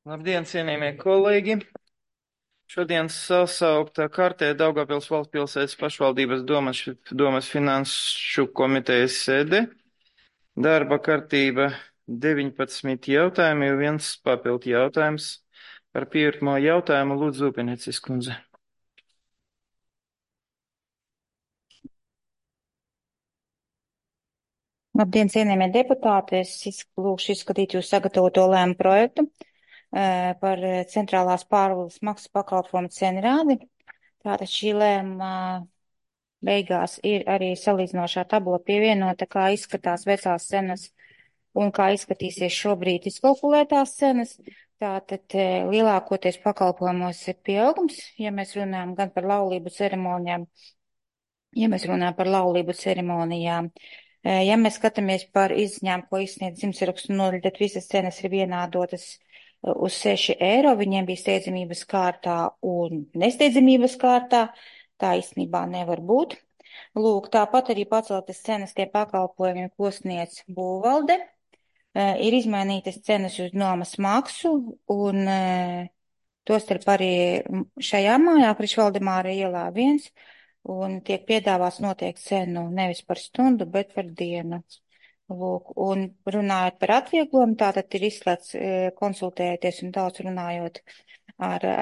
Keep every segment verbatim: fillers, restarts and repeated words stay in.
Labdien, cienījamie kolēģi! Šodien sasauktā kārtē Daugavpils valstspilsētas pašvaldības domas, domas finanšu komitejas sēde. Darba kārtība deviņpadsmit jautājumi, viens papildu jautājums. Par pirmo jautājumu lūdzu Upenecis kundze. Labdien, cienījamie deputāti! Es lūkšu izskatīt jūs sagatavoto lēmu projektu par centrālās pārvaldes maksas pakalpojumu cenrādi. Tātad šī lēma beigās ir arī salīdzinošā tabula pievienota, kā izskatās vecās cenas un kā izskatīsies šobrīd izkalkulētās cenas. Tātad lielākoties pakalpojumos ir pieaugums, ja mēs runājam gan par laulību ceremonijām, ja mēs runājam par laulību ceremonijām. Ja mēs skatāmies par izņēmumu, ko izsniedz dzimšanas nodaļa, tad visas cenas ir vienādotas uz seši eiro. Viņiem bija steidzamības kārtā un nesteidzamības kārtā. Tā īstenībā nevar būt. Lūk, tāpat arī paceltas cenas tie pakalpojumi, ko sniedz būvvalde. Ir izmainītas cenas uz nomas maksu un tostarp arī šajā mājā, Priekšvaldemāra ielā viens. Un tiek piedāvāts noteikti cenu nevis par stundu, bet par dienu. Lūk, un runājot par atvieglojumu, tātad ir izslēgts konsultējoties un daudz runājot ar e,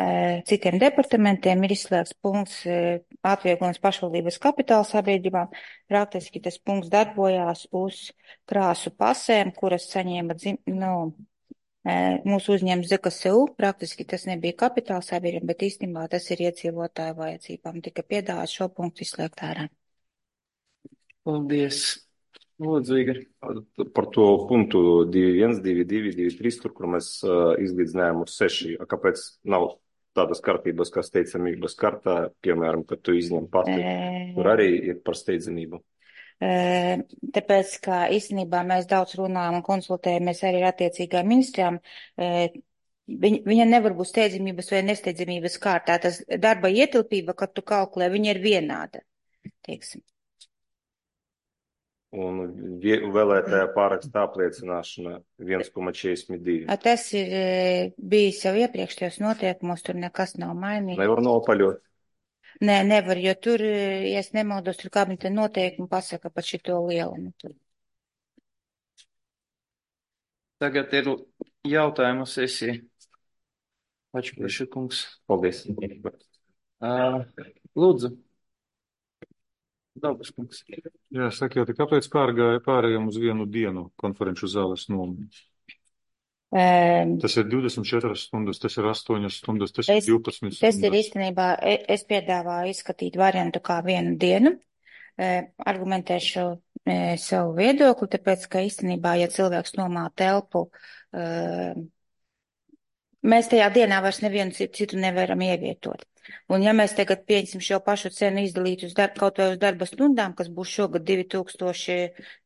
citiem departamentiem, ir izslēgts punkts e, atvieglojums pašvaldības kapitāla sabiedrībām. Praktiski tas punkts darbojās uz krāsu pasēm, kuras saņēma dzim, nu, mūsu uzņēmums Z K S U, praktiski tas nebija kapitāla sabiedrība, bet īstenībā tas ir iedzīvotāju vajadzībām. Tika piedāvāts šo punktu izslēgt ārā. Paldies. Lūdzu, Igor. Par to punktu divi viens, divi divi, divi trīs, tur, kur mēs uh, izlīdzinājām uz seši. Kāpēc nav tādas kārtības, kā steidzamības kārtā, piemēram, kad tu izņem pati, e... tur arī ir par steidzamību? Tāpēc, ka īstenībā mēs daudz runājam un konsultējamies arī ar attiecīgām ministrijām, viņa, viņa nevar būt steidzamības vai nesteidzamības kārtā. Tas darba ietilpība, kad tu kalkulē, viņa ir vienāda, teiksim. Un vēlētāja pāraksta apliecināšana viens koma četrdesmit divi. Tas ir bijis jau iepriekš tajos noteikumos, tur nekas nav mainīts. Nevar nopaļot. Nē, nevar, jo tur, ja es nemaldos, tur kabineta noteikumi pasaka par šito lielumu. Tagad ir jautājumu sesija. Pačupeša kungs. Paldies. Uh, lūdzu. Dabas kungs. Jā, sakiet, kāpēc pārgāja pārējām uz vienu dienu konferenču zāles nomu? Um, tas ir divdesmit četras stundas, tas ir astoņas stundas, tas es, ir divpadsmit stundas. Tas ir īstenībā, es piedāvāju izskatīt variantu kā vienu dienu. E, argumentēšu e, savu viedokli, tāpēc, ka īstenībā, ja cilvēks nomā telpu, e, mēs tajā dienā vairs nevienu citu nevaram ievietot. Un ja mēs tagad pieņemsim šo pašu cenu izdalīt uz darba, kaut vai uz darba stundām, kas būs šogad divi tūkstoši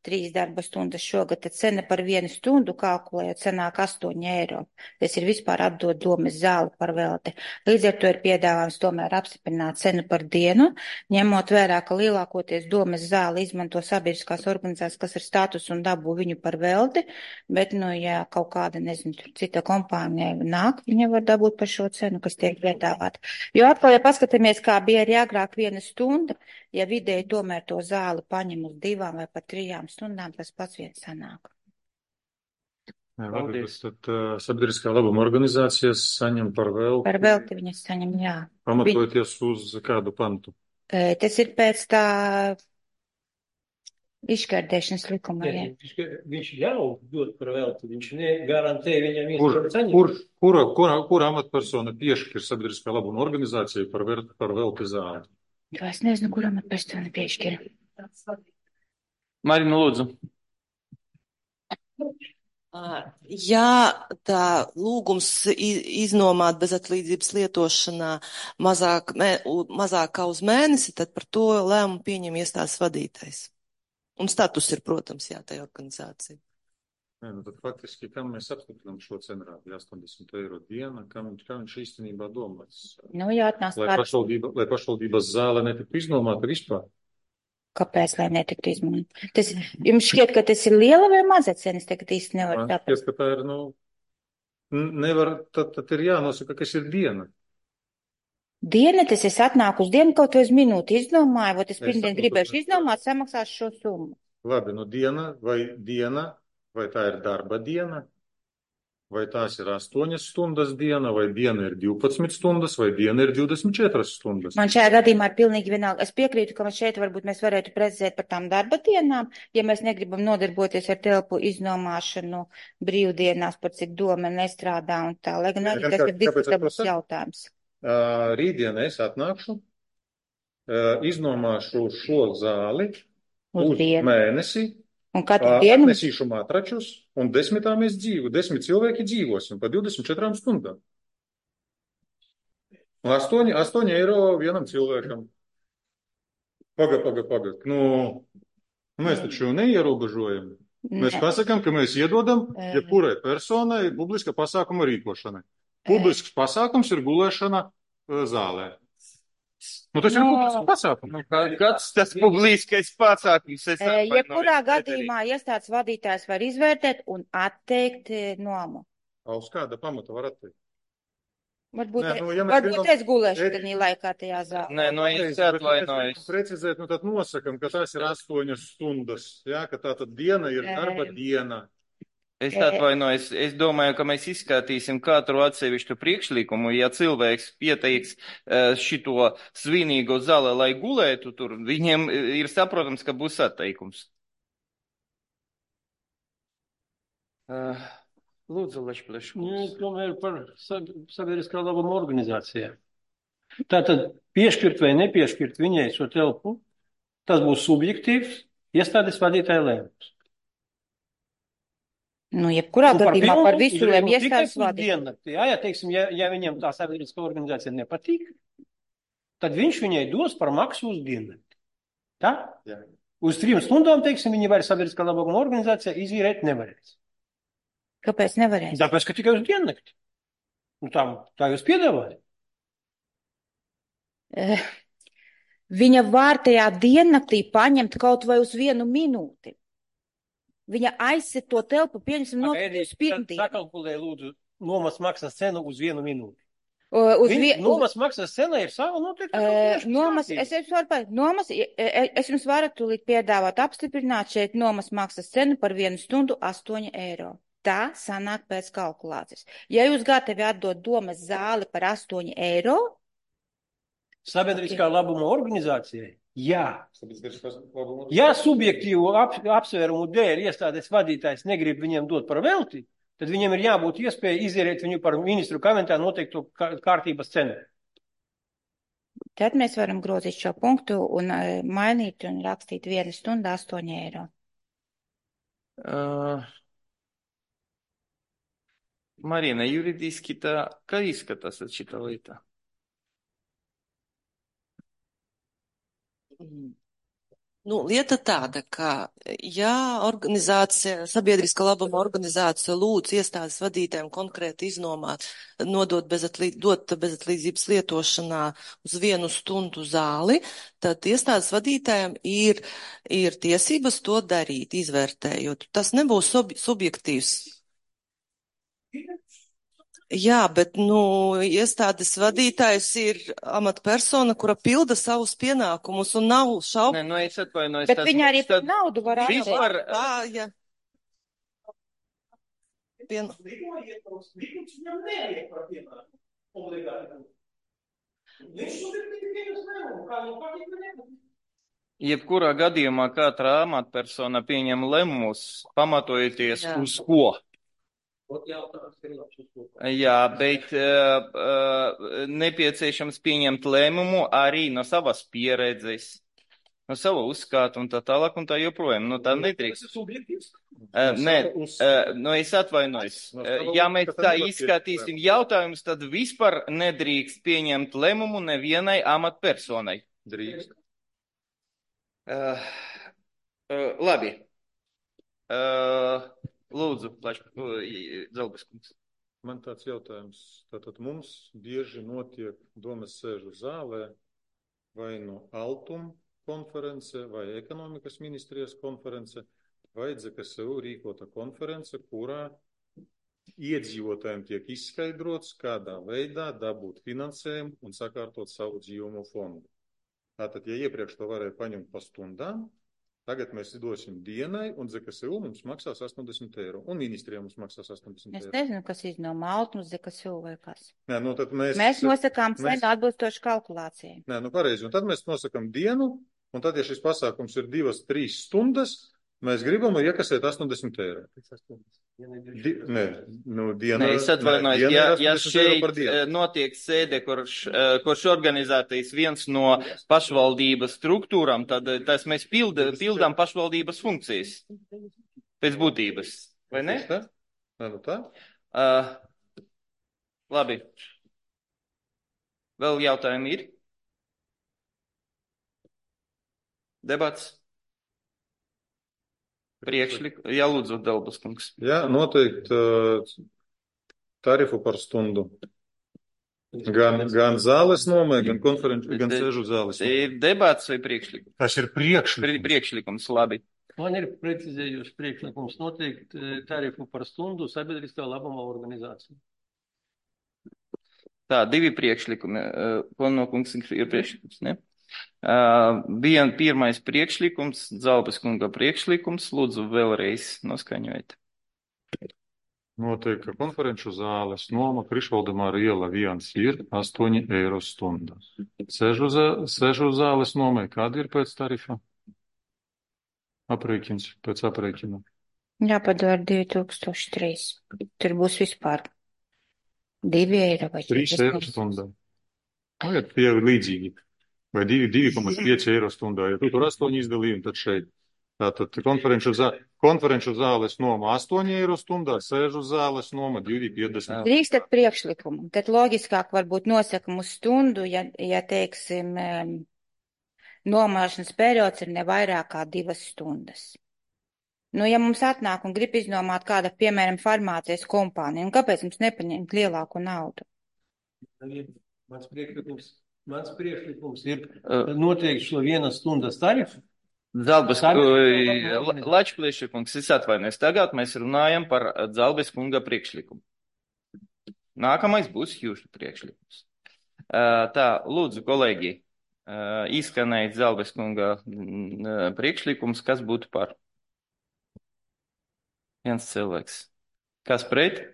trīs darba stundas šogad, tad cena par vienu stundu kalkulējot cenāk astoņi eiro. Tas ir vispār atdot domas zāli par velti. Līdz ar to ir piedāvājums tomēr apstiprināt cenu par dienu, ņemot vērā, ka lielākoties domas zāli izmanto sabiedriskās organizācijas, kas ir status un dabū viņu par velti, bet, nu, ja kaut kāda, nezinu, cita kompānija nāk, viņa var dabūt par šo cenu, kas tiek piedāvāta. Jo atkal, ja paskatāmies, kā bija arī agrāk viena stunda, ja vidēji tomēr to zāli paņem uz divām vai pat trijām stundām, tas pats viens sanāk. Jā, varbūt tad uh, sabiedriskā labuma organizācijas saņem par velti. Par velti viņas saņem, jā. Pamatojoties Viņ... uz kādu pantu? E, tas ir pēc tā izšķērdēšanas likuma. Jā, viņš, viņš jau dod par velti, viņš negarantē viņam kur, iespēju saņemt. Kur, kura, kura, kura amatpersona piešķir sabiedriskā labuma organizāciju par, ver, par velti zāli? Jo es nezinu, kura amatpersona piešķir. Marina, lūdzu. Ja tā lūgums iznomāt bezatlīdzības lietošanā mazāk, mazāk kā uz mēnesi, tad par to lēmumu pieņem iestādes vadītājs. Un status ir, protams, jā, tai organizācija. Nē, nu tad faktiski, kam mēs apstiprinām šo cenrādi, astoņdesmit eiro diena, kam, kam viņš īstenībā domāts? Nu, jā, atnāc lai, pašvaldība, lai pašvaldības zāle netiktu iznomāta vispār. Kāpēc, lai netiktu iznomāta? Tas, jums šķiet, ka tas ir liela vai maza cenas, tagad īsti nevar tāpēc? Šķiet, ka tā ir, nu, nevar, tad, tad ir jānosaka, kas ir diena. Diena, tas es atnāku uz dienu, kaut vai uz minūti izdomāju, vai es Es pirmdien saprotu, gribēšu bet- izdomāt, samaksāšu šo summu. Labi, nu diena vai diena, vai tā ir darba diena, vai tās ir astoņas stundas diena, vai diena ir divpadsmit stundas, vai diena ir divdesmit četras stundas. Man šajā gadījumā ir pilnīgi vienalga. Es piekrītu, ka šeit varbūt mēs varētu precizēt par tām darba dienām, ja mēs negribam nodarboties ar telpu iznomāšanu brīvdienās, par cik doma nestrādā un tā. Lai gan arī tas ir diskutabls jautājums. Uh, rītdien es atnākšu, uh, iznomāšu šo zāli Uz uz dienu. mēnesi, Un katru uh, dienu atnesīšu matračus, un desmitā mēs dzīvo, desmit cilvēki dzīvosim pa divdesmit četrām stundām. Un astoņi, astoņi eiro vienam cilvēkam. Paga, paga, paga. Nu, mēs taču neierobežojam. Mēs ne. pasakām, ka mēs iedodam Ē. jebkurai personai publiska pasākuma rīkošanai. Publisks pasākums ir gulēšana uh, zālē. Nu, tas ir No. publisks pasākums. Nu, kā- kāds tas publiskais pasākums? Es E, atvainojos, Jebkurā Ederī. gadījumā iestādes vadītājs var izvērtēt un atteikt e, nomu. A, uz kāda pamata var atteikt? Varbūt, Nē, nu, ja mēs varbūt gribam- es gulēšu Ed- tajā laikā tajā zālē. Nē, no es Bet, ja mēs atvainojos. gribam precizēt, nu tad nosakam, ka tās ir astoņas stundas. Jā, ka tā tad diena ir Ē. darba diena. Es Ē. atvainojos, es domāju, ka mēs izskatīsim katru atsevišķu priekšlikumu. Ja cilvēks pieteiks eh, šito svinīgo zāli, lai gulētu tur, viņiem ir saprotams, ka būs atteikums. Uh, Lūdzu, Lešpleš. Nu, es domāju par sa- sabiedriskā labuma organizācijām. Tātad piešķirt vai nepiešķirt viņai šo telpu, tas būs subjektīvs iestādes vadītāja lēmums. Nu, jebkurā Un par gadījumā pilnu par visu uzreiz, lēm nu, tikai iestādes uz vadītāju. diennakti. Jā, ja, teiksim, ja, ja viņam tā sabiedriskā organizācija nepatīk, tad viņš viņai dos par maksu uz diennakti. Tā? Jā. Uz trim stundām, teiksim, viņi vairs sabiedriskā labuma organizācija izīrēt nevarēs. Kāpēc nevarēs? Tāpēc, ka tikai uz diennakti. Nu, tā, tā jūs piedāvājat. Eh, Viņa var tajā diennaktī paņemt kaut vai uz vienu minūti. Viņa aizsit to telpu, pieņemsim, notiek uz pirmdienu. Sakalkulē, lūdzu, nomas maksas cenu uz vienu minūti. Uh, Uz Viņa, vie- uz- nomas maksas cena ir sava noteikta. Uh, Nomas, es jums varu pateikt, nomas, e- e- es jums varu tūlīt piedāvāt apstiprināt šeit nomas maksas cenu par vienu stundu astoņi eiro. Tā sanāk pēc kalkulācijas. Ja jūs gatavi atdot domas zāli par astoņi eiro, Sabiedriskā labuma organizācijai, jā. Ja subjektīvu ap, apsvērumu dēļ iestādes vadītājs negrib viņiem dot par velti, tad viņiem ir jābūt iespēja izierēt viņu par ministru kamentā noteiktu kā- kārtības cenu. tad mēs varam grozīt šo punktu un uh, mainīt un rakstīt vienu stundu astoņi eiro. Uh, Marina, juridiski tā, kā izskatās šita lieta? Nu, lieta tāda, ka, ja organizācija, sabiedriska labuma organizācija lūdz iestādes vadītājiem konkrēti iznomāt, nodot bezatlī, dot bezatlīdzības lietošanā uz vienu stundu zāli, tad iestādes vadītājiem ir, ir tiesības to darīt, izvērtējot. Tas nebūs sub, subjektīvs. Jā, bet, nu, iestādes vadītājs ir amatpersona, kura pilda savus pienākumus un nav šaubu. Nē, no es atvainojos. Bet tad- viņa arī par tad naudu var atteikt. vispār, Tā, ja. Pien... jebkurā gadījumā katra amatpersona pieņem lēmumus, pamatojoties Jā. uz ko? Jā, bet uh, uh, nepieciešams pieņemt lēmumu arī no savas pieredzes, no sava uzskata un tā tālāk un tā joprojām. Nu, tā nedrīkst. Uh, nē, uh, nu es atvainojos. Uh, ja mēs tā izskatīsim jautājumus, tad vispār nedrīkst pieņemt lēmumu nevienai amatpersonai. Drīkst. Uh, uh, labi. Uh, lūdzu, plaši, uh, Zalbeskungs. Man tāds jautājums. Tātad mums bieži notiek domas sēžu zālē vai no Altuma konference vai ekonomikas ministrijas konference vai D Z K S U rīkota konference, kurā iedzīvotājiem tiek izskaidrots, kādā veidā dabūt finansējumu un sakārtot savu dzīvomo fondu. Tātad, ja iepriekš to varēja paņemt pa stundām, tagad mēs dosim dienai, un Z K S U mums maksās astoņdesmit eiro, un ministrijā mums maksās astoņdesmit eiro. Es nezinu, kas izno Maltu, Z K S U vai kas. Nē, nu tad mēs... Mēs nosakām cenu mēs... atbilstoši kalkulācijai. Nē, nu pareizi, un tad mēs nosakām dienu, un tad, ja šis pasākums ir divas, trīs stundas, mēs gribam iekasēt astoņdesmit eiro. Di, nē, nu, diena, nē, es atvainojos, nē, ja, ja eiro šeit notiek sēde, kurš, kurš organizētais viens no pašvaldības struktūram, tad tas mēs pilda, pildām pašvaldības funkcijas pēc būtības, vai ne? Tā? Nē, nu tā. Uh, labi. Vēl jautājumi ir? Debats? Priekšlik, jā, lūdzu, Delbas kungs. Jā, noteikti tarifu par stundu. Gan, gan zāles nomē, gan konferenču, gan sēžu zāles. Ir debats vai priekšlikums? Tas ir priekšlikums. Priekšlikums, labi. Man ir precizējuši priekšlikums noteikti tarifu par stundu sabiedriskā labuma organizācija. Tā, divi priekšlikumi. Pono kungs ir priekšlikums, ne? Uh, Vien pirmais priekšlikums, Zalbas kunga priekšlikums, lūdzu vēlreiz noskaņojiet. Noteikti, ka konferenču zāles noma Krišvaldemāra iela viens ir astoņi eiro stundā. Sežu, zā, sežu zāles nomai, kāda ir pēc tarifa? Aprēķins, pēc aprēķina. Jāpadara divi tūkstoši trīs. Tur būs vispār divi eiro vai trīs eiro stundā. Tagad tie ir līdzīgi. Vai divi komats pieci eiro stundā. Ja tu tur astoņi izdalījumi, tad šeit. Tātad konferenču, zā, konferenču zāles noma astoņi eiro stundā, sēžu zāles noma divi piecdesmit. Drīkstat priekšlikumu. Tad loģiskāk varbūt nosakam uz stundu, ja, ja teiksim, nomāšanas periods ir ne vairāk kā divas stundas. Nu, ja mums atnāk un grib iznomāt kāda, piemēram, farmācijas kompānija, un kāpēc mums nepaņemt lielāku naudu? Mans priekšlikums. Mans priekšlikums ir noteikti šo vienas stundas tarifu. Zalbas, Lačplieša kungs, es atvainojos. Tagad mēs runājam par Zalbas kunga priekšlikumu. Nākamais būs jūsu priekšlikums. Tā, lūdzu, kolēģi, izskanēja Zalbas kunga priekšlikums, kas būtu par? Viens cilvēks. Kas pret?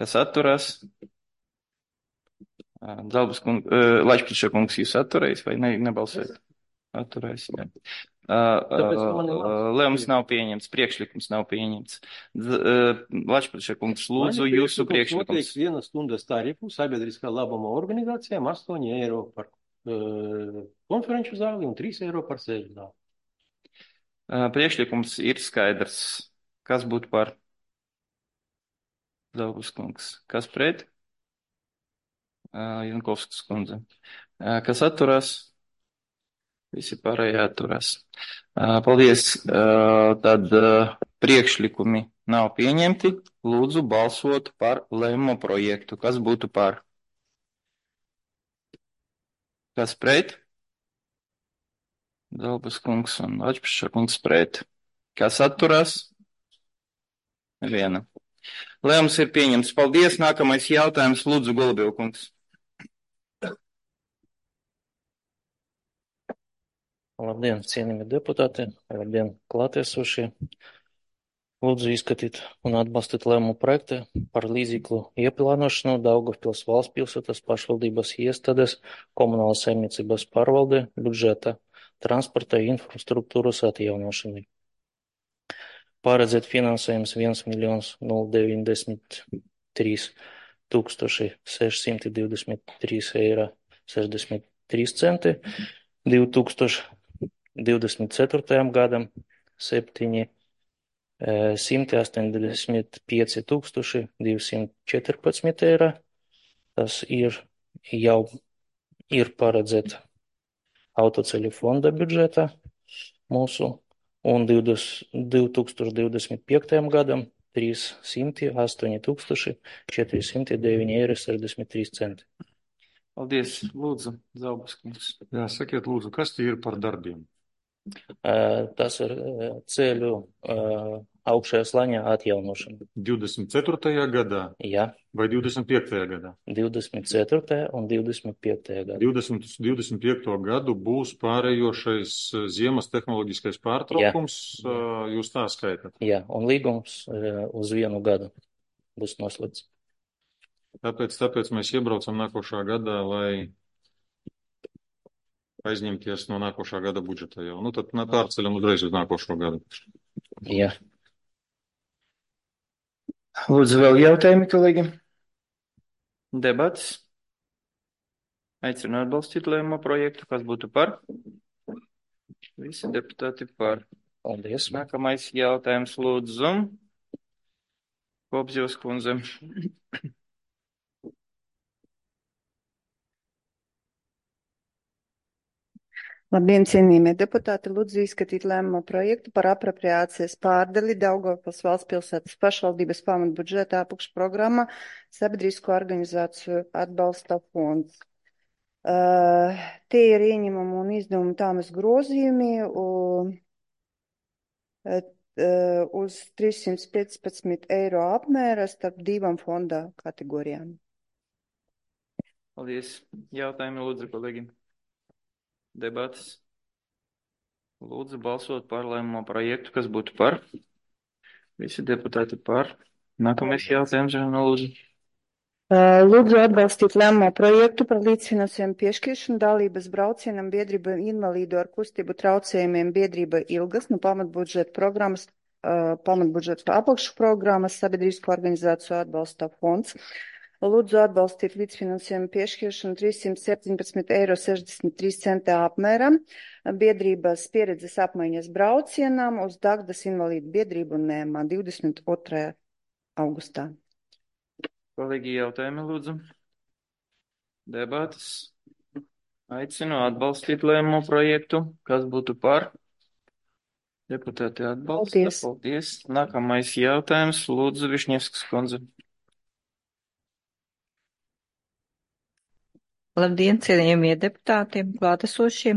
Kas atturās? Zalbas kungs, Lačplieša kungs, jūs atturējis vai ne, nebalsojat? Atturējis, jā. Lēmums nav pieņemts, priekšlikums nav pieņemts. Lačplieša kungs, lūdzu, jūsu priekšlikums. Noteikti vienas stundas tarifu sabiedriskā labuma organizācijām astoņi eiro par uh, konferenču zāli un trīs eiro par sēžu zāli. Priekšlikums ir skaidrs. Kas būtu par? Zalbas kungs. Kas pret? Jankovskas kundze. Kas atturās? Visi pārējie atturās. Paldies. Tad priekšlikumi nav pieņemti. Lūdzu balsot par lēmumu projektu. Kas būtu par? Kas pret? Zalbas kungs un Lačplieša kungs pret. Kas atturās? Neviena. Lēmums ir pieņemts. Paldies. Nākamais jautājums. Lūdzu, Golubiev kungs. Labdien, cienījamie deputāti, labdien, klātiesošie. Lūdzu izskatīt un atbalstīt lēmumu projektu par līdzekļu ieplānošanu Daugavpils valsts pilsētas pašvaldības iestādes komunālas saimniecības pārvalde budžeta transporta infrastruktūras atjaunošanai. Paredzēt finansējums viens miljons deviņdesmit trīs tūkstoši sešsimt divdesmit trīs eiro sešdesmit trīs centi, divi tūkstoši divdesmit ceturtajam gadam septiņi simti astoņdesmit pieci tūkstoši divsimt četrpadsmit eiro. Tas ir jau ir paredzēt autoceļu fonda budžeta mūsu un divi tūkstoši divdesmit piektajam gadam trīssimti astoņi tūkstoši četri simti deviņi eiro sešdesmit trīs centi. Paldies. Lūdzu, Zalbas kungs. Jā, sakiet, lūdzu, kas tie ir par darbiem? Tas ir ceļu augšējā slaņā atjaunošana. divdesmit ceturtajā gadā Jā, vai divdesmit piektajā gadā? divdesmit ceturtajā un divdesmit piektajā gadā. divdesmit, divdesmit piekto gadu būs pārējošais ziemas tehnoloģiskais pārtraukums, Jā. jūs tā skaitat. Jā, un līgums uz vienu gadu būs noslēgts. Tāpēc, tāpēc mēs iebraucam nākošā gadā, lai aizņemties no nākošā gada budžeta jau. Nu, tad pārceļam uzreiz uz nākošo gadu. Jā. Lūdzu, vēl jautājumi, kolēģi? Debats? Aicinu atbalstīt lēmumu projektu. Kas būtu par? Visi deputāti par. Paldies. Nākamais jautājums, lūdzu. Kopzjos kundze. Labdien, cienījamie deputāti, lūdzu izskatīt lēmumu projektu par apropriācijas pārdali Daugavpils valsts pilsētas pašvaldības pamatbudžeta apakšprogrammā Sabiedrisko organizāciju atbalsta fonds. Uh, tie ir ieņemumu un izdevumu tāmas grozījumi uh, uh, uz trīssimt piecpadsmit eiro apmēra starp divām fonda kategorijām. Paldies. Jautājumi, lūdzu, kolēģi. Debatas. Lūdzu balsot par lēmumu projektu, kas būtu par. Visi deputāti par. Nākamais jautājums, lūdzu. Lūdzu atbalstīt lēmumu projektu par līdzfinansējumu piešķiršanu dalības braucienam biedrība invalīdu ar kustību traucējumiem biedrība Ilgas no pamatbudžeta programmas, pamatbudžeta apakšprogrammas Sabiedrisko organizāciju atbalsta fonds. Lūdzu atbalstīt līdzfinansējumu piešķiršanu trīssimt septiņpadsmit eiro sešdesmit trīs centi apmēram biedrības pieredzes apmaiņas braucienām uz Dagdas invalīdu biedrību Nēmā divdesmit otrajā augustā. Kolēģi, jautājumi, lūdzu. Debatas. Aicinu atbalstīt lēmumu projektu. Kas būtu par? Deputāti atbalsta. Paldies. Paldies. Nākamais jautājums, lūdzu, Višņevskas kundze. Labdien, cienījamie deputāti, klātesošie.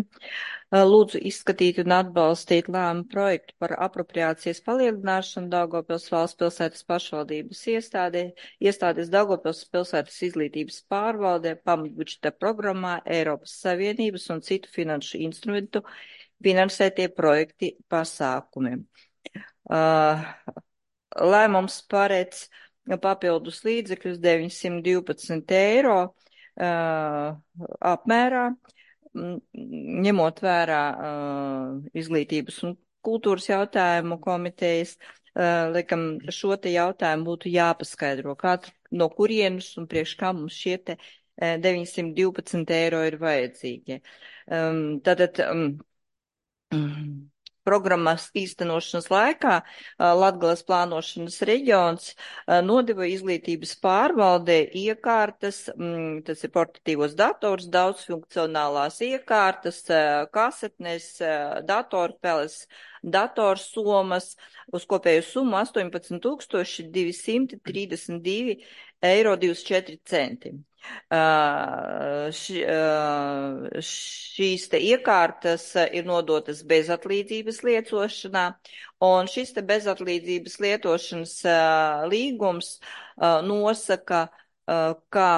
Lūdzu izskatīt un atbalstīt lēmumu projektu par apropriācijas palielināšanu Daugavpils valsts pilsētas pašvaldības iestādē, iestādes Daugavpils pilsētas izglītības pārvaldē, pamatbudžeta programmā, Eiropas Savienības un citu finanšu instrumentu finansētie projekti pasākumi. Lēmums paredz papildus līdzekļus deviņsimt divpadsmit eiro Uh, apmērā, ņemot vērā uh, izglītības un kultūras jautājumu komitejas, uh, liekam, šo te jautājumu būtu jāpaskaidro, kā, no kurienes un priekš kā mums šie te uh, deviņsimt divpadsmit eiro ir vajadzīgi. Um, tātad, um, um, programmas īstenošanas laikā Latgales plānošanas reģions nodeva izglītības pārvaldē iekārtas, tas ir portatīvos dators, daudzfunkcionālās iekārtas, kasetnes, datorpeles, datorsomas uz kopēju summu astoņpadsmit tūkstoši divsimt trīsdesmit divi eiro divdesmit četri centi. Uh, š, uh, šīs te iekārtas ir nodotas bezatlīdzības lietošanā, un šis te bezatlīdzības lietošanas uh, līgums uh, nosaka, uh, ka,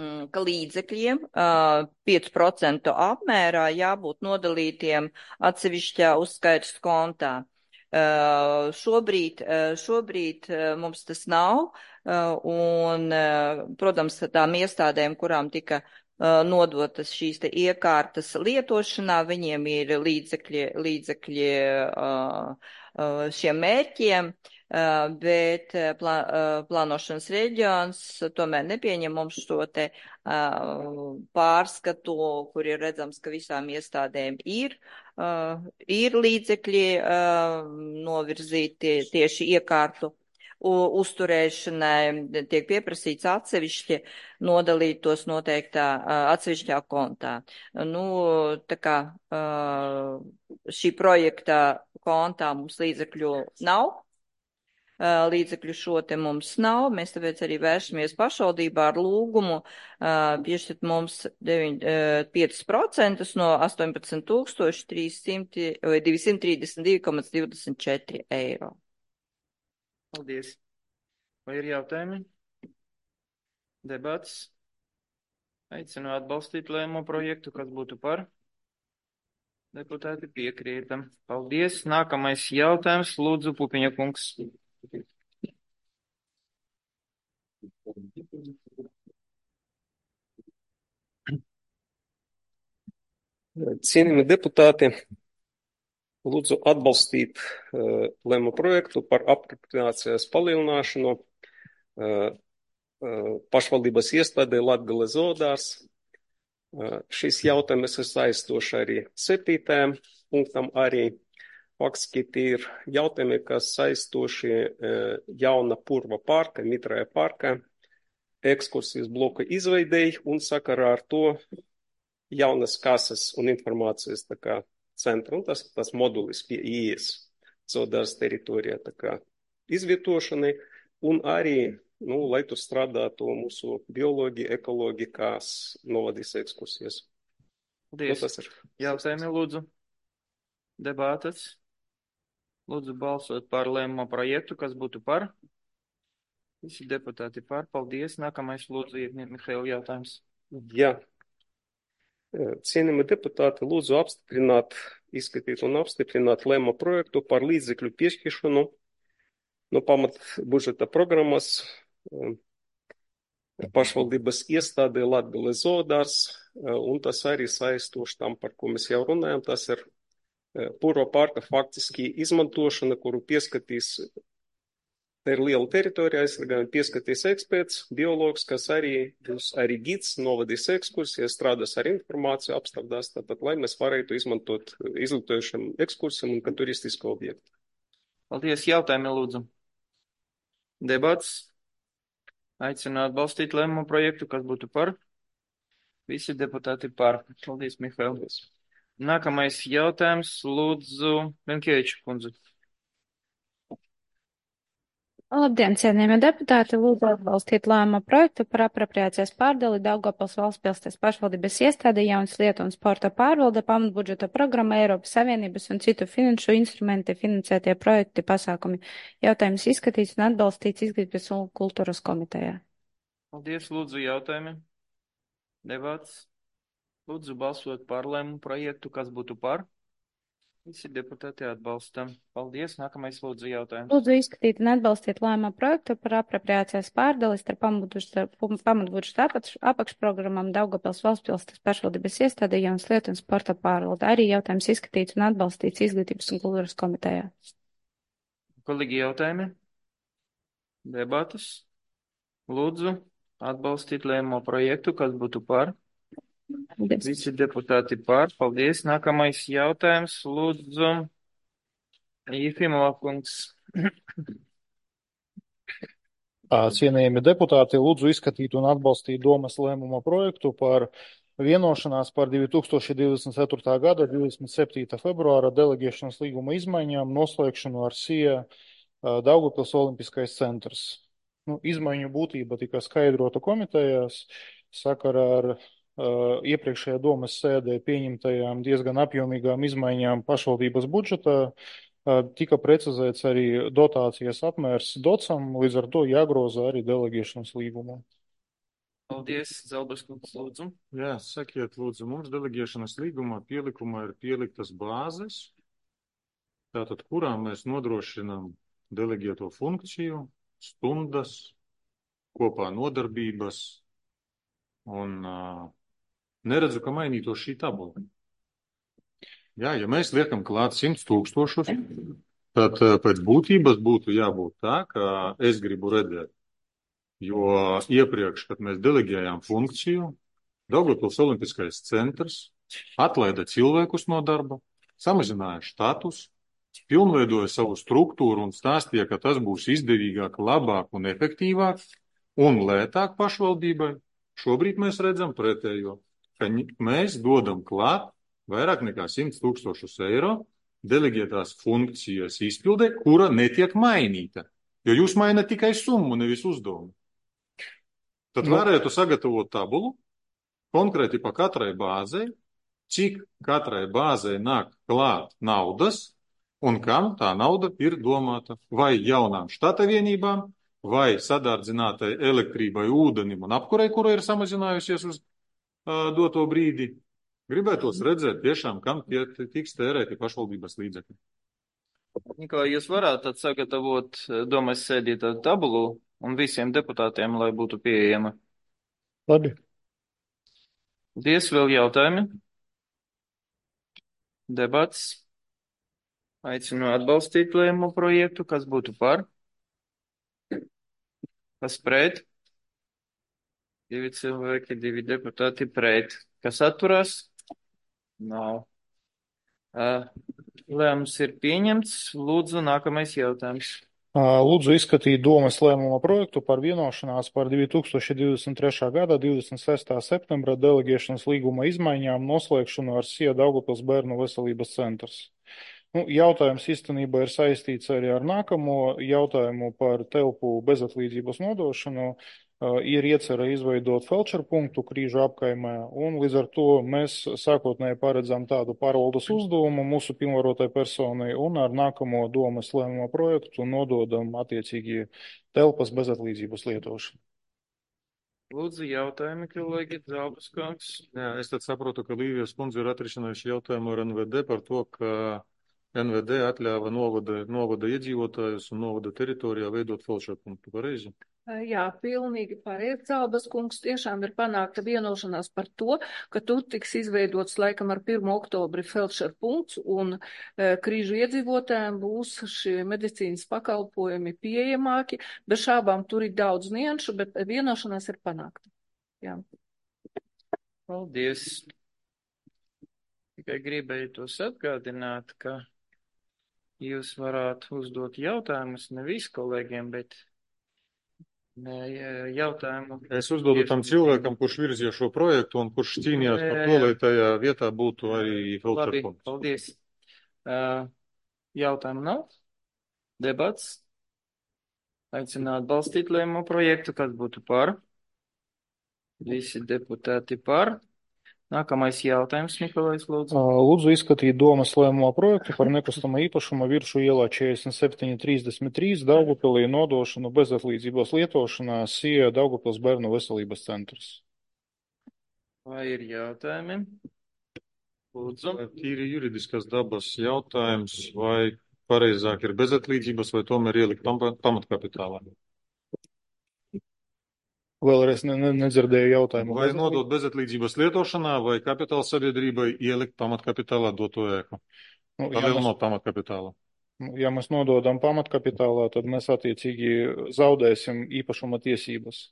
um, ka līdzekļiem uh, pieci procenti apmērā jābūt nodalītiem atsevišķā uzskaitas kontā. Uh, šobrīd, uh, šobrīd uh, mums tas nav, uh, un, uh, protams, tām iestādēm, kurām tika uh, nodotas šīs te iekārtas lietošanā, viņiem ir līdzekļi, līdzekļi uh, uh, šiem mērķiem, uh, bet plā, uh, plānošanas reģions tomēr nepieņem mums šo te uh, pārskatu, kur ir redzams, ka visām iestādēm ir Uh, ir līdzekļi uh, novirzīti tieši iekārtu uzturēšanai, tiek pieprasīts atsevišķi nodalīt tos noteiktā uh, atsevišķā kontā. Nu, tā kā uh, šī projekta kontā mums līdzekļu nav, līdzekļu šo te mums nav. Mēs tāpēc arī vēršamies pašvaldībā ar lūgumu piešķirt mums pieci procenti no astoņpadsmit tūkstoši divsimt trīsdesmit divi komats divdesmit četri eiro. Paldies. Vai ir jautājumi? Debats? Aicinu atbalstīt lēmumu projektu, kas būtu par. Deputāti piekrītam. Paldies. Nākamais jautājums. Lūdzu, Pupiņa kungs. Cienījami deputāti, lūdzu atbalstīt uh, lēmumu projektu par apropriācijas palielināšanu uh, uh, pašvaldības iestādē Latgale zoodārs. Uh, šis jautājums ir saistoši arī septītajam punktam arī. Faktiski tie ir jautājumi, kas saistoši uh, jauna purva parka, mitrāja parka, ekskursijas bloka izveidēji un sakarā ar to jaunas kases un informācijas tā kā centra, un tas, tas modulis pie ieejas zoodārs teritorijā tā kā izvietošanai, un arī, nu, lai tur strādātu mūsu biologi, ekologi, kas novadīs ekskursijas. Paldies. Nu, tas ir. Jautājumi, lūdzu. Debātas. Lūdzu balsot par lēmumu projektu, kas būtu par. Visi deputāti par. Paldies. Nākamais, lūdzu, Mihail jautājums. Jā. Cienījami deputāti, lūdzu apstiprināt, izskatīt un apstiprināt lēmumu projektu par līdzekļu piešķiršanu no pamat budžeta programmas pašvaldības iestādē Latgale zoodārs, un tas arī saistoši tam, par ko mēs jau runājam, tas ir purva parka faktiski izmantošana, kuru pieskatīs, tā ir liela teritorija, aizsargājumi pieskatīs eksperts, biologs, kas arī būs arī gids, novadīs ekskursijas, strādās ar informāciju, apstrādās, tātad, lai mēs varētu izmantot izglītojušam ekskursijam un kā turistisku objektu. Paldies. Jautājumi, lūdzu. Debats. Aicinu atbalstīt lēmumu projektu, kas būtu par. Visi deputāti par. Paldies, Mihail. Nākamais jautājums, lūdzu, Venkieviča kundze. Labdien, cienījamie deputāti, lūdzu atbalstīt lēmumu projektu par apropriācijas pārdali Daugavpils valstspilsnes pašvaldības iestādē jaunas lietu un sporta pārvalde pamatbudžeta programma Eiropas Savienības un citu finanšu instrumenti finansētie projekti pasākumi. Jautājums izskatīts un atbalstīts izglītības un kultūras komitejā. Paldies, lūdzu, jautājumi. Debats. Lūdzu balsot par lēmumu projektu, kas būtu par. Visi deputāti atbalsta. Paldies. Nākamais, lūdzu, jautājums. Lūdzu izskatīt un atbalstīt lēmumu projektu par apropriācijas pārdali starp pamatbudžeta apakšprogrammām Daugavpils valstspilsnes pašvaldības iestādē jaunas lietu un sporta pārvalde. Arī jautājums izskatīts un atbalstīts izglītības un kultūras komitejā. Kolīgi jautājumi? Debatas. Lūdzu atbalstīt lēmumu projektu, kas būtu par. Paldies. Visi deputāti par. Paldies. Nākamais jautājums. Lūdzu, Jefimova kungs. Cienījami deputāti, lūdzu izskatīt un atbalstīt domas lēmuma projektu par vienošanās par divi tūkstoši divdesmit ceturtā gada divdesmit septītā februāra delegēšanas līguma izmaiņām noslēgšanu ar S I A Daugavpils Olimpiskais centrs. Nu, izmaiņu būtība tika skaidrota komitejās sakarā ar uh, iepriekšējā domas sēdē pieņemtajām diezgan apjomīgām izmaiņām pašvaldības budžetā. Uh, tika precizēts arī dotācijas apmērs docam, līdz ar to jāgroza arī delegēšanas līgumā. Paldies, Zelberskungs, lūdzu. Jā, sakiet, lūdzu, mums delegēšanas līgumā pielikumā ir pieliktas bāzes, tātad kurām mēs nodrošinām delegēto funkciju, stundas, kopā nodarbības, un uh, neredzu, ka mainītos šī tabula. Jā, ja mēs liekam klāt simts tūkstošus, tad uh, pēc būtības būtu jābūt tā, ka es gribu redzēt, jo iepriekš, kad mēs delegējām funkciju, Daugavpils Olimpiskais centrs atlaida cilvēkus no darba, samazināja štatus, pilnveidoja savu struktūru un stāstīja, ka tas būs izdevīgāk, labāk un efektīvāk un lētāk pašvaldībai. Šobrīd mēs redzam pretējo, ka mēs dodam klāt vairāk nekā simts tūkstošus eiro delegētās funkcijas izpildē, kura netiek mainīta. Jo jūs mainat tikai summu, nevis uzdevumu. Tad Nu. varētu sagatavot tabulu konkrēti pa katrai bāzei, cik katrai bāzei nāk klāt naudas un kam tā nauda ir domāta. Vai jaunām štata vienībām, vai sadārdzinātai elektrībai, ūdenim un apkurei, kura ir samazinājusies uz uh, doto brīdi. Gribētos redzēt tiešām, kam tie tiks tērēti pašvaldības līdzekļi. Nikolai, jūs varētu tad sagatavot domas sēdī tādu tabulu un visiem deputātiem, lai būtu pieejama. Labi. Paldies, vēl jautājumi? Debats. Aicinu atbalstīt lēmumu projektu, kas būtu par. Kas pret? Divi cilvēki, divi deputāti pret. Kas atturās? Nav. Uh, lēmums ir pieņemts. Lūdzu, nākamais jautājums. Lūdzu izskatīt domas lēmuma projektu par vienošanās par divi tūkstoši divdesmit trešā gada divdesmit sestā septembra delegēšanas līguma izmaiņām noslēgšanu ar S I E Daugavpils bērnu veselības centrs. Nu, jautājums īstenībā ir saistīts arī ar nākamo jautājumu par telpu bezatlīdzības nodošanu. Ir iecerē izveidot felčeru punktu Krīžu apkaimē, un līdz ar to mēs sākotnēji paredzam tādu pārvaldes uzdevumu mūsu pilnvarotai personai, un ar nākamo domas lēmumu projektu nododam attiecīgi telpas bezatlīdzības lietošanu. Lūdzu, jautājumi, kolēģi, Zābas kungs. Jā, es tad saprotu, ka Līvijas kundze ir atrisinājuši jautājumu ar N V D par to, ka N V D atļāva novada, novada iedzīvotājus un novada teritorijā veidot felčeru punktu. Pareizi? Jā, pilnīgi pareizi. Zābas kungs, tiešām ir panākta vienošanās par to, ka tur tiks izveidots laikam ar pirmo oktobri felčeru punkts un e, Krīžu iedzīvotājiem būs šie medicīnas pakalpojumi pieejamāki. Bez šābām tur ir daudz nianšu, bet vienošanās ir panākta. Jā. Paldies. Tikai gribēju tos atgādināt, ka jūs varētu uzdot jautājumus ne visi kolēģiem, bet ne, jautājumu. Es uzdodu tam cilvēkam, kurš virzīja šo projektu un kurš cīnījās par to, lai tajā vietā būtu arī felčeru punkts. Paldies. Uh, jautājumu nav? Debats? Aicināt balstīt lēmumu projektu, kas būtu par? Visi deputāti par. Nākamais jautājums, Nikolais, lūdzu. Lūdzu izskatīt domas lēmuma projektu par nekustama īpašuma Viršu ielā četrdesmit septiņi trīsdesmit trīs Daugavpilī nodošanu bezatlīdzības lietošanā S I E Daugavpils bērnu veselības centrs. Vai ir jautājumi? Lūdzu. Tīri juridiskas dabas jautājums, vai pareizāk ir bezatlīdzības vai tomēr ielikt pamatkapitālā? Vēlreiz ne, ne, nedzirdēju jautājumu. Vai nodot bezatlīdzības lietošanā, vai kapitāla sabiedrībai ielikt pamatkapitālā doto ēku? Nu, Tad vēl no pamatkapitāla. Ja mēs nododam pamatkapitālā, tad mēs attiecīgi zaudēsim īpašuma tiesības.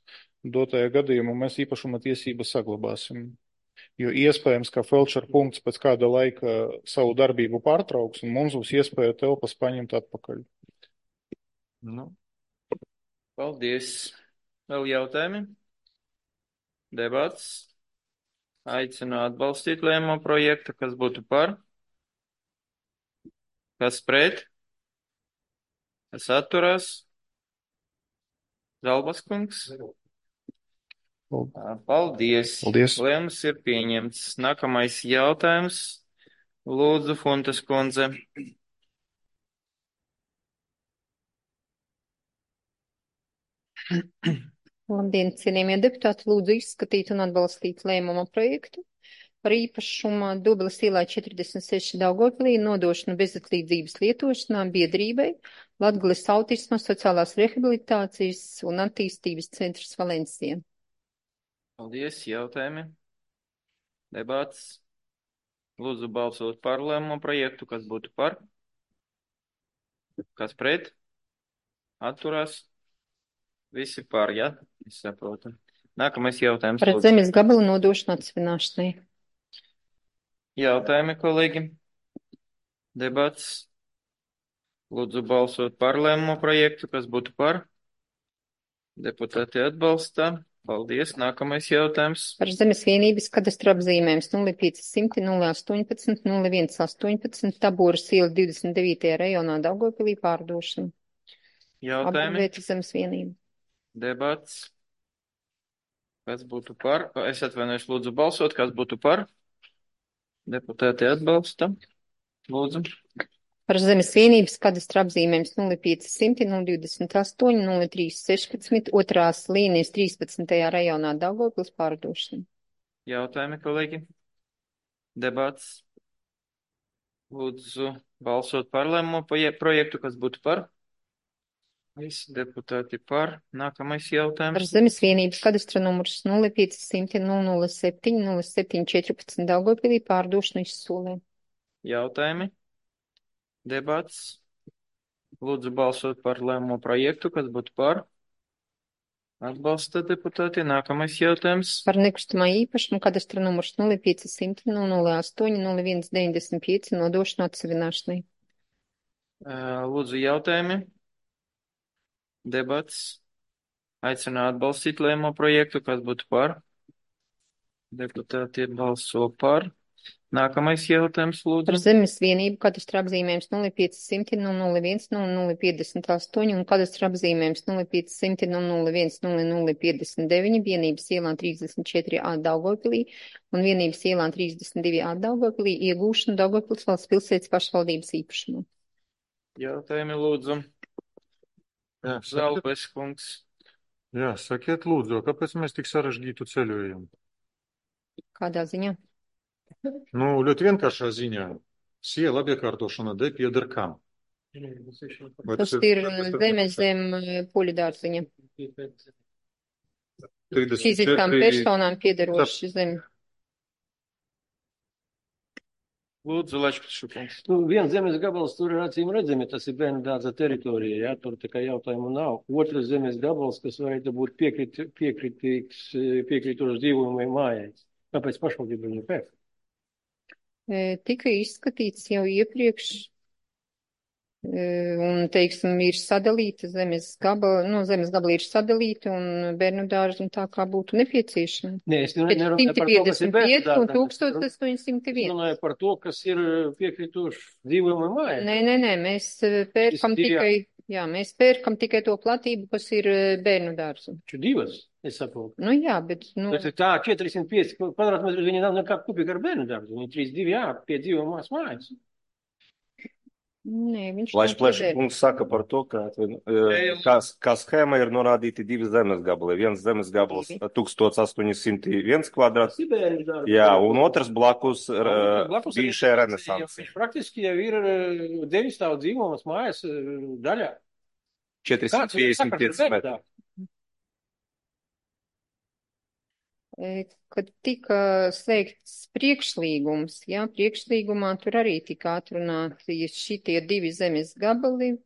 Dotajā gadījumā mēs īpašuma tiesības saglabāsim. Jo iespējams, ka felčeru punkts pēc kāda laika savu darbību pārtrauks, un mums būs iespēja telpas paņemt atpakaļ. Nu. Paldies. Vēl jautājumi? Debats. Aicinu atbalstīt lēmumu projektu, kas būtu par. Kas pret? Kas atturās? Zalbas kungs. Paldies. Paldies. Lēmums ir pieņemts. Nākamais jautājums. Lūdzu, Funtas kundze. Labdien, cienījamie deputāti, lūdzu izskatīt un atbalstīt lēmuma projektu par īpašuma Dobeles ielā četrdesmit seši Daugavpilī nodošanu bezatlīdzības lietošanā biedrībai Latgales autisma sociālās rehabilitācijas un attīstības centrs Valencija. Paldies, jautājumi. Debats. Lūdzu balsot par lēmumu projektu, kas būtu par. Kas pret? Atturās. Visi par, jā? Ja? Es saprotu. Nākamais jautājums. Par zemes gabalu nodošanu atsvināšanai. Jautājumi, kolēģi. Debats. Lūdzu balsot par lēmumu projektu, kas būtu par. Deputāti atbalsta. Paldies. Nākamais jautājums. Par zemes vienības kadastru apzīmējums nulle pieci simti nulle astoņpadsmit nulle viens astoņpadsmit Tabūras iela divdesmit devītajā rajonā Daugavpilī pārdošana. Jautājumi? Apbūvēta zemes vienība. Debats. Kas būtu par? Es atvainojos, lūdzu balsot. Kas būtu par? Deputāti atbalsta. Lūdzu. Par zemes vienības kadastra apzīmējums nulle pieci simti nulle divdesmit astoņi nulle trīs sešpadsmit otrās līnijas trīspadsmitajā rajonā Daugavpils pārdošana. Jautājumi, kolēģi? Debats. Lūdzu balsot par lēmumu projektu. Kas būtu par? Visi deputāti par. Nākamais jautājums. Par zemes vienības kadastra numurs nulle pieci simti nulle nulle septiņi nulle septiņi četrpadsmit Daugavpilī pārdošanu izsolē. Jautājumi? Debats. Lūdzu balsot par lēmumu projektu. Kas būtu par? Atbalsta deputāti. Nākamais jautājums. Par nekustamā īpašumu kadastra numurs nulle pieci simti nulle nulle astoņi nulle viens deviņdesmit pieci nodošanu atsevināšanai. Lūdzu jautājumi? Debats. Aicinu atbalstīt lēmumu projektu. Kas būtu par? Deputāti balso par. Nākamais jautājums, lūdzu. Par zemes vienību kadastra apzīmējums nulle pieci simti nulle nulle viens nulle nulle piecdesmit astoņi un kadastra apzīmējums nulle pieci simti nulle nulle viens nulle nulle piecdesmit deviņi vienības ielā trīsdesmit četri A Daugavpilī un vienības ielā trīsdesmit divi A Daugavpilī iegūšanu Daugavpils valsts pilsētas pašvaldības īpašumu. Jautājumi, lūdzu. Jā, Zalbes kungs. Jā, sakiet, lūdzu, kāpēc mēs tik sarežģītu ceļojumu? Kādā ziņā? Nu, ļoti vienkāršā ziņā. Siela apiekārtošana D pieder kam? Vai Tas tas ir tas zemes zem poļu dārziņa. trīsdesmit Fiziskām četri personām piederoši zemi. Lūdzu, Lečkviču kungs. Nu, viens zemes gabals tur ir acīm redzami, tas ir bērnu dārza teritorija, jā, tur tā kā jautājumu nav. Otrs zemes gabals, kas varētu būt piekrit, piekritīgs, piekrītošs dzīvojumai mājai. Kāpēc pašvaldība viņu pēc? E, tika izskatīts jau iepriekš, e, un, teiksim, ir sadalīta zemes gabala, no zemes gabala ir sadalīta, un bērnu dārzi un tā kā būtu nepieciešama. Nē, es nerunāju par to, kas ir bērnu dārza. un tūkstoš astoņsimt viens. Es runāju par to, kas ir piekrītošs dzīvojumai mājai. Nē, nē, nē, mēs pērkam tikai, jā, mēs pērkam tikai to platību, kas ir bērnu dārzu. Taču divas, es saprotu. Nu jā, bet, nu. Tas ir tā, četrdesmit pieci kvadrātmetri, viņi nav nekā kupika ar bērnu dārzu. Viņi trīs divi, jā, pie dzīvojumās mājas. Nē, viņš Laiš Pleša kungs saka par to, ka kā, kā schēma ir norādīti divi zemes gabali. Viens zemes gabals tūkstoš astoņi simti viens kvadrāts. Jā, un otrs blakus bijušajai renesansi. Praktiski jau ir deviņu stāvu dzīvojamas mājas daļā. četrsimt piecdesmit pieci metri. Kad tika slēgts priekšlīgums, jā, priekšlīgumā tur arī tika atrunāti šitie divi zemes gabali.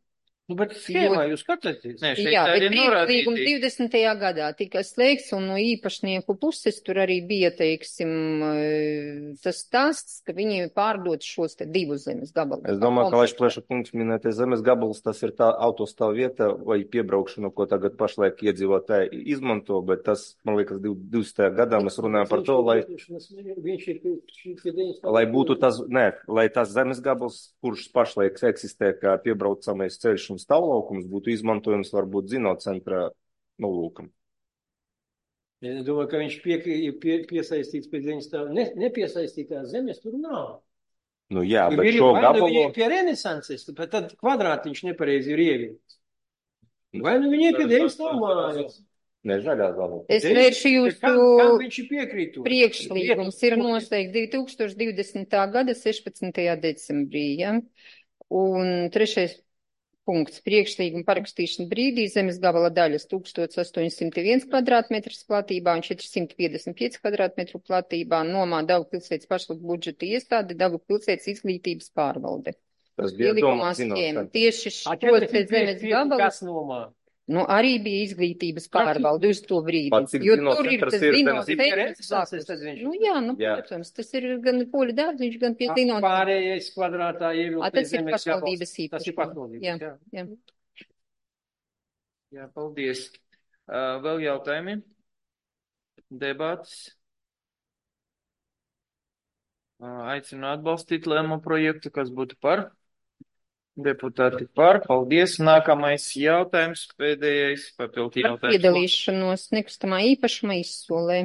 Nu, bet schēmā jūs skatāties? Nē, šeit Jā, tā bet ir norādīti. priekšlīgums divdesmitajā gadā tika slēgts, un no īpašnieku puses tur arī bija, teiksim, tas stāsts, ka viņi pārdod šos te divus zemes gabalus. Es domāju, ka Laiš Pleša kungs minētais zemes gabals, tas ir tā autostāv vieta vai piebraukšana, ko tagad pašlaik iedzīvotāji izmanto, bet tas, man liekas, divdesmitajā gadā mēs runājam par to, lai, lai būtu tas, nē, lai tas zemes gabals, kurš pašlaik eksistē kā piebraucamais ceļš un stāvlaukums, būtu izmantojams varbūt zinocentra nolūkam. Es domāju, ka viņš pie, pie, piesaistīts pie zemes stāv. Ne, nepiesaistītās zemes tur nav. Nu jā, Jo bet ir šo vai nu gabalu... viņi ir pie renesanses, bet tad kvadrātiņš nepareizi ir ievietots. Vai nu viņi ir pie deviņu stāvu mājas? Ne, zaļā zāle. Es vēršu jūsu Kam, kam viņš ir piekrītošs? priekšlīgums ir noslēgts divi tūkstoši divdesmitā gada sešpadsmitajā decembrī, ja? Un trešais punkts priekšlīguma parakstīšana brīdī zemes gabala daļas tūkstoš astoņsimt viens kvadrātmetrs platībā un četrsimt piecdesmit pieci kvadrātmetru platībā nomā Daugavpilsētas pašvaldības budžeta iestāde Daugavpilsētas izglītības pārvalde. Tas bija Ielikumā domāts schēma. zinocentra. Tieši A, šo te zemes gabalu, Kas nomā? nu arī bija izglītības pārvalde uz to brīdi. Pats cik Jo tur ir zinocentrs tas ir zinocentrs zemes- blakus. Nu jā, nu, Jā. protams, tas ir gan poļu dārziņš, gan pie zinocentrs. Pārējais kvadrātā ievilkt. A, tas ir pašvaldības Tas ir īpašums. pašvaldības, Jā, jā. jā. Jā, paldies. Uh, vēl jautājumi? Debats. Uh, aicinu atbalstīt lēmumu projektu, kas būtu par. deputāti par. Paldies. Nākamais jautājums, pēdējais papildu Par jautājums. piedalīšanos nekustamā īpašuma izsolē.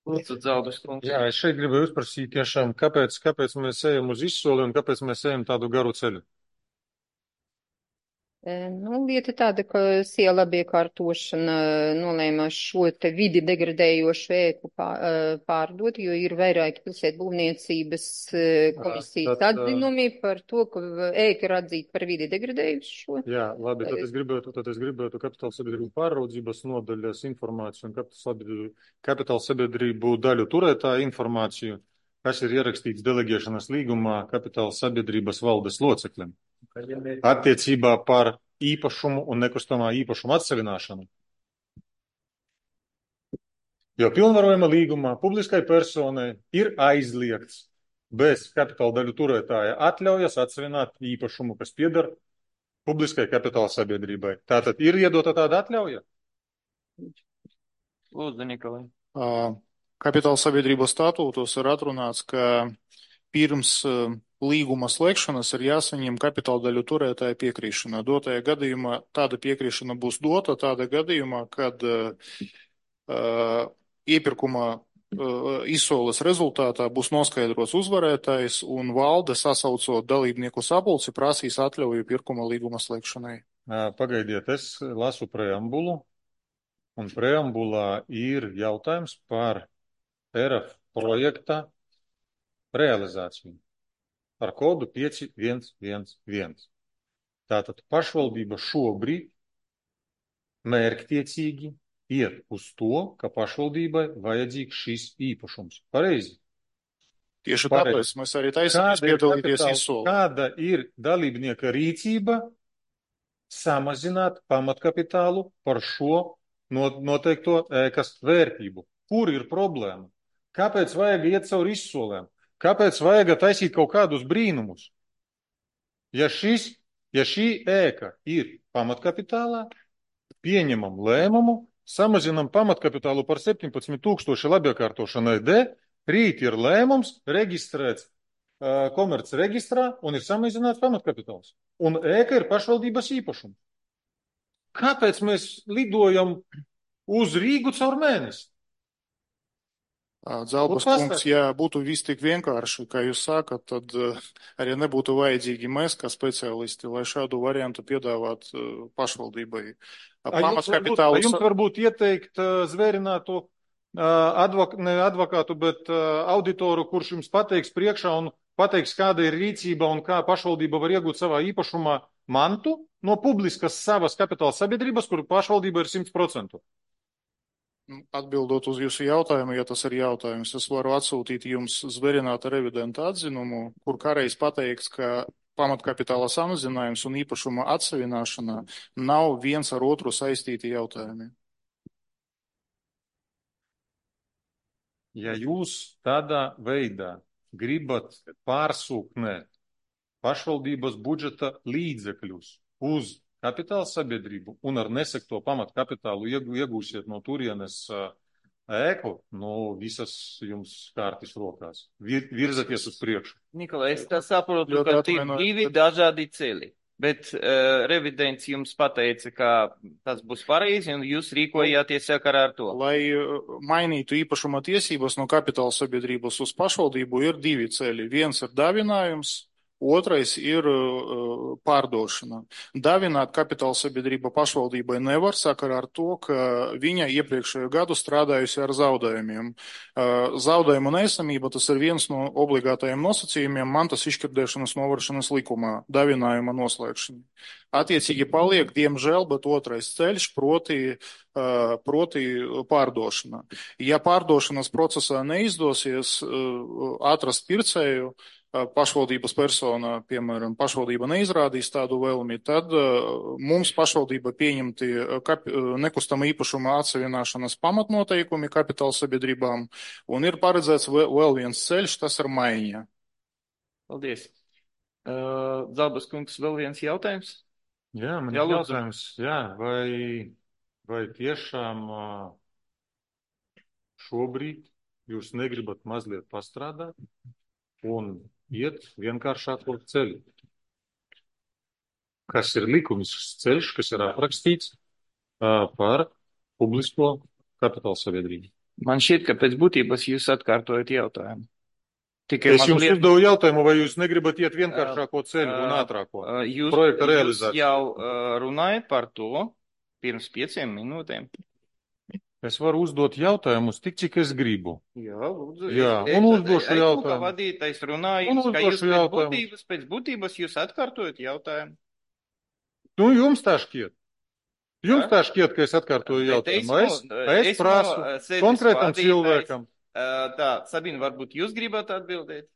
Lūdzu, Dzalbas kungs. Jā, es šeit gribēju uzprasīt tiešām, kāpēc, kāpēc mēs ejam uz izsoli un kāpēc mēs ejam tādu garu ceļu. Nu, lieta tāda, ka Siela iekārtošana nolēma šo te vidi degradējošu ēku pārdot, jo ir vairāki pilsētu būvniecības komisijas Tad, atzinumi par to, ka ēka ir atzīta par vidi degradējušu. Jā, labi, tad es gribētu, tad es gribētu kapitāla sabiedrību pārraudzības nodaļas informāciju un kapitāla sabiedrību, kapitāla sabiedrību daļu turētāju informāciju, kas ir ierakstīts delegēšanas līgumā kapitāla sabiedrības valdes locekļiem. Attiecībā par īpašumu un nekustamā īpašuma atsevināšanu. Jo pilnvarojuma līgumā publiskai personai ir aizliegts bez kapitāla daļu turētāja atļaujas atsevināt īpašumu, kas pieder publiskai kapitāla sabiedrībai. Tātad ir iedota tāda atļauja? Lūdzu, Nikolai. Kapitāla sabiedrības statūtos ir atrunāts, ka pirms līguma slēgšanas ir jāsaņem kapitāla daļu turētāja piekrišana. Dotajā gadījumā tāda piekrišana būs dota tādā gadījumā, kad uh, iepirkuma uh, izsoles rezultātā būs noskaidrots uzvarētājs un valde sasaucot dalībnieku sapulci prasīs atļauju pirkuma līguma slēgšanai. Pagaidiet, es lasu preambulu, un preambulā ir jautājums par E R F projekta realizāciju ar kodu pieci viens viens viens. Tātad pašvaldība šobrīd mērķtiecīgi iet uz to, ka pašvaldībai vajadzīgs šis īpašums. Pareizi? Tieši tāpēc mēs arī taisamies piedalīties izsolē. Kāda ir dalībnieka rīcība samazināt pamatkapitālu par šo noteikto ēkas vērtību? Kur ir problēma? Kāpēc vajag iet caur izsolēm? Kāpēc vajag taisīt kaut kādus brīnumus? Ja, šis, ja šī ēka ir pamatkapitālā, pieņemam lēmumu, samazinam pamatkapitālu par septiņpadsmit tūkstoši labiekārtošanai D, rīt ir lēmums reģistrēts uh, komerc reģistrā un ir samazināts pamatkapitāls. Un ēka ir pašvaldības īpašums. Kāpēc mēs lidojam uz Rīgu caur mēnesi? Dzalbas kungs, ja būtu viss tik vienkārši, kā jūs sākat, tad uh, arī nebūtu vajadzīgi mēs, kā speciālisti, lai šādu variantu piedāvāt uh, pašvaldībai. Pamatkapitālu. Jums varbūt ieteikt uh, zvērinātu uh, advok, ne advokātu, bet uh, auditoru, kurš jums pateiks priekšā un pateiks, kāda ir rīcība un kā pašvaldība var iegūt savā īpašumā mantu no publiskas savas kapitāla sabiedrības, kur pašvaldība ir simt procentu. Atbildot uz jūsu jautājumu, ja tas ir jautājums, es varu atsūtīt jums zvērināta revidenta atzinumu, kur kādreiz pateikts, ka pamatkapitāla samazinājums un īpašuma atsevināšana nav viens ar otru saistīti jautājumi. Ja jūs tādā veidā gribat pārsūknēt pašvaldības budžeta līdzekļus uz kapitāla sabiedrību un ar nesekto pamatkapitālu iegūsiet no turienes ēku, nu visas jums kārtis rokās. Vir, virzaties uz priekšu. Nikolai, es tā saprotu, ka tie divi dažādi ceļi, bet uh, revidents jums pateica, ka tas būs pareizi un jūs rīkojāties sakarā ar to. Lai mainītu īpašuma tiesības no kapitāla sabiedrības uz pašvaldību ir divi ceļi. Viens ir dāvinājums. Otrais ir uh, pārdošana. Dāvināt kapitāla sabiedrība pašvaldībai nevar sakarā ar to, ka viņa iepriekšējo gadu strādājusi ar zaudējumiem. Uh, zaudējumu neesamība tas ir viens no obligātajiem nosacījumiem mantas izšķirdēšanas novēršanas likumā, dāvinājuma noslēgšana. Attiecīgi paliek, diemžēl, bet otrais ceļš, proti, uh, proti pārdošana. Ja pārdošanas procesā neizdosies uh, atrast pircēju, pašvaldības persona, piemēram, pašvaldība neizrādīs tādu vēlmi, tad uh, mums pašvaldība pieņemti kapi, nekustama īpašuma atsevināšanas pamatnoteikumi kapitāla sabiedrībām, un ir paredzēts vēl, vēl viens ceļš, tas ir maiņa. Paldies. Uh, Dzalbas kungs, vēl viens jautājums? Jā, man ir jautājums, jā, vai, vai tiešām uh, šobrīd jūs negribat mazliet pastrādāt un iet vienkāršāko ceļu. kas ir likumisks ceļš, kas ir aprakstīts uh, par publisko kapitāla sabiedrību. Man šķiet, ka pēc būtības jūs atkārtojat jautājumu. Tikai Es jums mazliet... uzdevu jautājumu, vai jūs negribat iet vienkāršāko ceļu un ātrāko Uh, jūs, projekta jūs realizāciju? jau uh, runājat par to pirms pieciem minūtēm. Es varu uzdot jautājumus tik, cik es gribu. Jā, lūdzu. Jā, es, un es, uzdošu es, es, jautājumu. kā vadītājs runāju, Un ka jūs uzdošu pēc jautājumu. būtības, pēc būtības jūs atkārtojat jautājumu. Nu, jums tā šķiet. Jums Ja? tā šķiet, ka es atkārtoju Bet jautājumu. Es, esmu- es esmu, prasu uh, sēdes konkrētam vadītājs. cilvēkam. Uh, Tā, Sabina, varbūt jūs gribat atbildēt?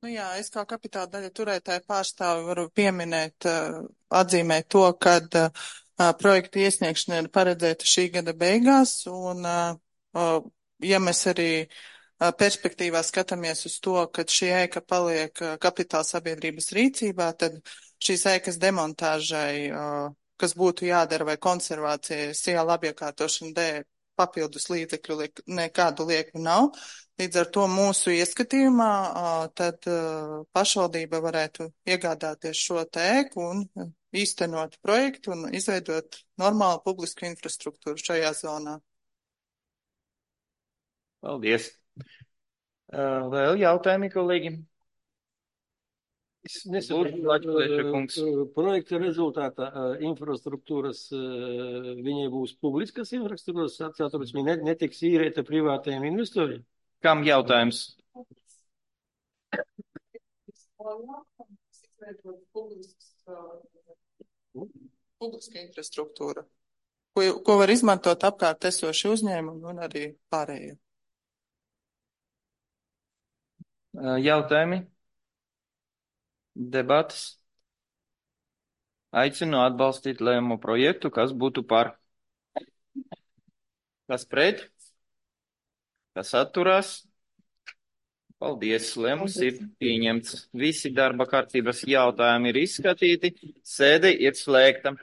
Nu jā, es kā kapitāla daļa turētāja pārstāvi varu pieminēt, uh, atzīmēt to, ka uh, projekta iesniegšana ir paredzēta šī gada beigās, un uh, uh, ja mēs arī uh, perspektīvā skatāmies uz to, ka šī ēka paliek uh, kapitāla sabiedrības rīcībā, tad šīs ēkas demontāžai, uh, kas būtu jādara vai konservācijai, siela apiekārtošana dēļ, papildus līdzekļu liek, nekādu lieku nav. Līdz ar to mūsu ieskatījumā tad pašvaldība varētu iegādāties šo tēku un īstenot projektu un izveidot normālu publisku infrastruktūru šajā zonā. Paldies. Uh, Vēl jautājumi, kolēģi? Es nesaprotu, uh, projekta rezultātā uh, infrastruktūras, uh, viņai būs publiskas infrastruktūras, atcēturas, viņa netiks īrēta privātajiem investoriem. Kam jautājums? Publiska infrastruktūra, ko, ko var izmantot apkārt esoši uzņēmumi un arī pārējie. Uh, Jautājumi? Debatas? Aicinu atbalstīt lēmumu projektu, kas būtu par. Kas pret? Kas atturās? Paldies, lēmums ir pieņemts. Visi darba kārtības jautājumi ir izskatīti. Sēde ir slēgta.